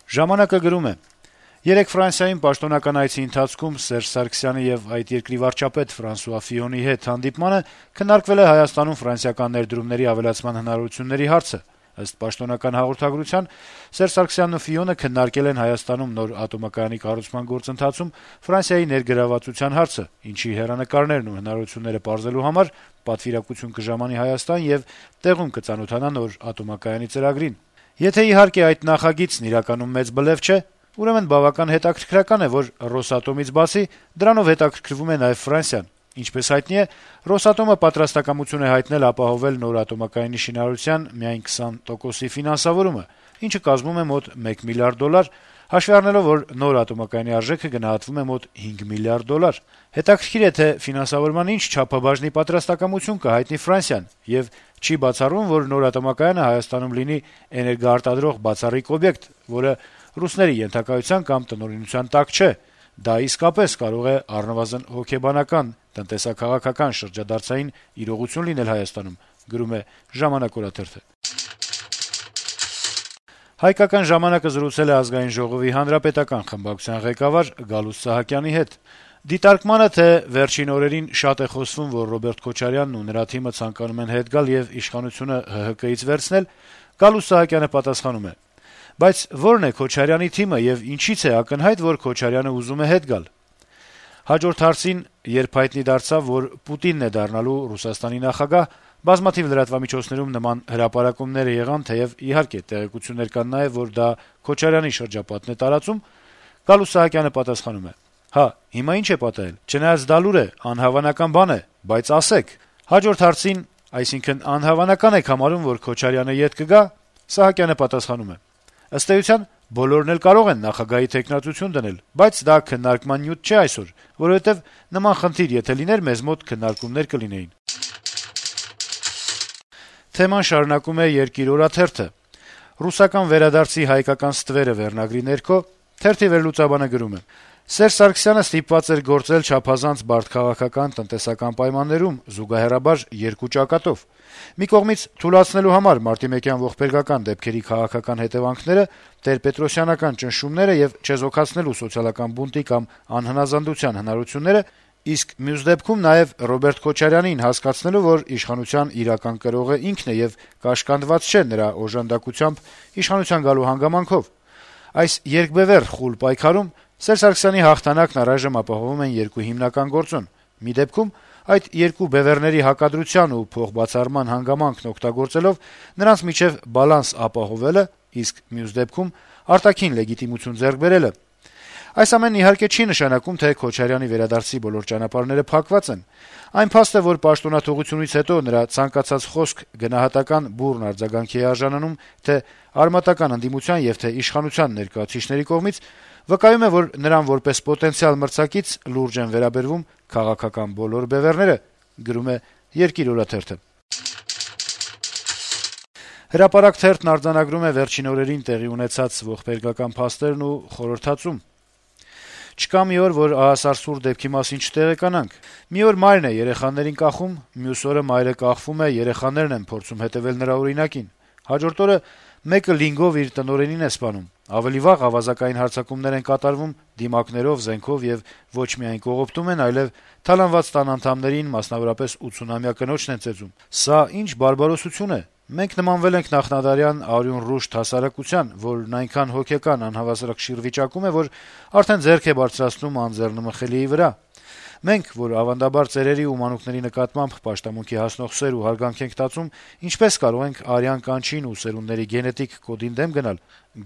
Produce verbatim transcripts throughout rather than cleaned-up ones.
«Ժամանակ»-ը գրում է. - «Երեկ Ֆրանսիայում պաշտոնական այցի ընթացքում Սերժ Սարգսյանի եւ այդ երկրի վարչապետ Ֆրանսուয়া Ֆիոնի հետ հանդիպմանը քննարկվել է Հայաստանում ֆրանսիական ներդրումների ավելացման հնարավորությունների հարցը։ Ըստ պաշտոնական հաղորդագրության, Սերժ Սարգսյանն ու Ֆիոնը քննարկել են Հայաստանում նոր ատոմակայանի կառուցման գործընթացում Ֆրանսիայի ներգրավվածության հարցը, ինչի հեռանկարներն ու հնարավորությունները պարզելու համար պատվիրակություն կժամանի Հայաստան եւ տեղում կծանոթանա նոր ատոմակայանի ծրագրին։ Եթե իհարկե այդ նախագիծն իրականում մեծ բլեֆ չէ, ուրեմն բավական հետաքրքրական է, որ Ռոսատոմից բացի դրանով հետաքրքրվում է նաեւ Ֆրանսիան։ Ինչպես հայտնի է, Ռոսատոմը պատրաստակամություն է հայտնել ապահովել նոր ատոմակայանի շինարարության միայն քսան տոկոսի ֆինանսավորումը, ինչը կազմում է մոտ մեկ միլիարդ դոլար, հաշվի առնելով, որ նոր ատոմակայանի արժեքը գնահատվում է մոտ հինգ միլիարդ դոլար։ Հետաքրքիր է, թե ֆինանսավորման ինչ չափաբաժնի պատրաստակամություն կհայտնի Ֆրանսիան, եւ չի բացառվում, որ նոր ատոմակայանը Հայաստանում լինի էներգոարտադրող բացառիկ օբյեկտ, որը ռուսների ենթակայության կամ տնօրինության տակ չէ։ Դա իսկապես կարող է առնվազն հոգեբանական, տնտեսա-քաղաքական շրջադարձային իրողություն լինել Հայաստանում», գրում է «Ժամանակ» օրաթերթը։ «Հայկական ժամանակ»-ը զրուցել է Ազգային ժողովի հանրապետական խմբակցության ղեկավար Գալուստ Սահակյանի հետ։ Դիտարկմանը, թե վերջին օրերին շատ է խոսվում, որ Ռոբերտ Քոչարյանն ու նրա թիմը ցանկանում են հետ գալ եւ իշխանությունը ՀՀԿ-ից վերցնել, Գալուստ Սահակյանը պատասխանում է. - «Բայց ո՞րն է Քոչարյանի թիմը եւ ինչի՞ց է ակնհայտ, որ Քոչարյանը ուզում է հետ գալ»։ Հաջորդ հարցին, երբ հայտնի դարձավ, որ Պուտինն է դառնալու Ռուսաստանի նախագահ, բազմաթիվ լրատվամիջոցներում նման հրապարակումներ եղան, թեեւ իհարկե տեղեկություններ կան նաեւ, որ դա Քոչարյանի շրջապատն է տարածում, Գալուստ Սահակյանը պատասխանում է. - «Հա, հիմա ինչ է պատահել, չնայած դա լուր է, անհավանական բան է, բայց ասեք»։ Հաջորդ հարցին, այսինքն անհավանական եք համարում, որ Քոչարյանը ետ կգա, Սահակյանը պատասխանում է. - «Ըստ էության, բոլորն էլ կարող են նախագահի թեկնածություն դնել, բայց դա քննարկման նյութ չէ այսօր, որովհետեւ նման խնդիր եթե լիներ, մեզ մոտ քննարկումներ կլինեին»։ Թեման շարունակում է «Երկիր» օրաթերթը. - «Ռուսական վերադարձի հայկական ստվերը» վերնագրի ներքո թերթի վերլուծաբանը գրում է. - «Սերժ Սարգսյանը ստիպված էր գործել չափազանց բարդ քաղաքական, տնտեսական պայմաններում, զուգահեռաբար երկու ճակատով: Մի կողմից թուլացնելու համար մարտիմեկյան ողբերգական դեպքերի քաղաքական հետեւանքները, տեր-պետրոսյանական ճնշումները եւ չեզոքացնելու սոցիալական բունտի կամ անհնազանդության հնարավորությունները, իսկ մյուս դեպքում նաեւ Ռոբերտ Քոչարյանին հասկացնելու, որ իշխանության իրական կրողը ինքն է եւ կաշկանդված չէ նրա օժանդակությամբ իշխանության գալու հանգամանքով: Այս երկբեւեռ խուլ պայքարում Սերժ Սարգսյանի հաղթանակն առայժմ ապահովում են երկու հիմնական գործոն: Մի դեպքում այդ երկու բեւեռների հակադրության ու փոխբացառման հանգամանքն օգտագործելով նրանց միջեւ բալանս ապահովելը, իսկ մյուս դեպքում արտաքին լեգիտիմություն ձեռք բերելը: Այս ամենն իհարկե չի նշանակում, թե Քոչարյանի վերադարձի բոլոր ճանապարհները փակված են: Այն փաստ է, որ պաշտոնաթողությունից հետո նրա ցանկացած խոսք գնահատական բուռն արձագանքի է արժանանում թե արմատական ընդդիմության եւ թե իշխանության ներկայացուցիչների կողմից, վկայում է, որ նրան որպես պոտենցիալ մրցակից լուրջ են վերաբերվում քաղաքական բոլոր բեւեռները», գրում է «Երկիր» օրաթերթը։ «Հրապարակ» թերթն արձանագրում է վերջին օրերին տեղի ունեցած ողբերգական փաստերն ու խորհրդածում. - «Չկա մի օր, որ ահասար սուր դեպքի մասին չտեղեկանանք: Մի օր մայրն է երեխաներին կախում, մյուս օրը մայրը կախվում է, երեխաներն են փորձում հետեւել նրա օրինակին: Հաջորդ օրը մեկը լինգով իր տնօրենին է սպանում: Ավելի վաղ ավազակային հարձակումներ են կատարվում դիմակներով, զենքով եւ ոչ միայն կողոպտում են, այլեւ թալանված տան անդամներին, մասնավորապես ութսունամյա կնոջն են ծեծում: Սա ինչ բարբարոսություն է: Մենք նմանվել ենք նախնադարյան արյուն ռուշտ հասարակության, որն այնքան հոգեկան անհավասարակշիռ վիճակում է, որ արդեն ձեռք է բարձրացնում անձեռնմխելիի վրա: Մենք, որ ավանդաբար ծերերի ու մանուկների նկատմամբ պաշտամունքի հասնող սեր ու հարգանք ենք տածում, ինչպե՞ս կարող ենք արյան կանչին ու սերունդների գենետիկ կոդին դեմ գնալ»,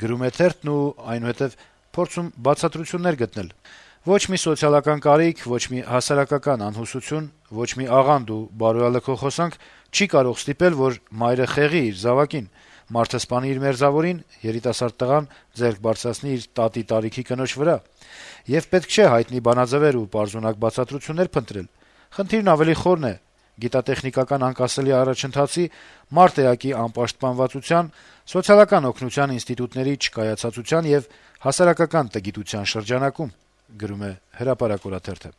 գրում է թերթն ու այնուհետեւ փորձում բացատրություններ գտնել. - «Ոչ մի սոցիալական կարիք, ոչ մի հասարակական անհուսություն, ոչ մի աղանդ ու բարոյալքող հոսանք չի կարող ստիպել, որ մայրը խեղի իր զավակին, մարդը սպանի իր մերձավորին, երիտասարդ տղան ձեռք բարձրացնի իր տատի տարիքի կնոջ վրա: Եվ պետք չէ հայտնի բանաձեւեր ու պարզունակ բացատրություններ փնտրել: Խնդիրն ավելի խորն է՝ գիտատեխնիկական անկասելի առաջընթացի, մարդ-էակի անպաշտպանվածության, սոցիալական օգնության ինստիտուտների չկայացածության եւ հասարակական տգիտության շրջանակում», գրում է «Հրապարակ» օրաթերթը։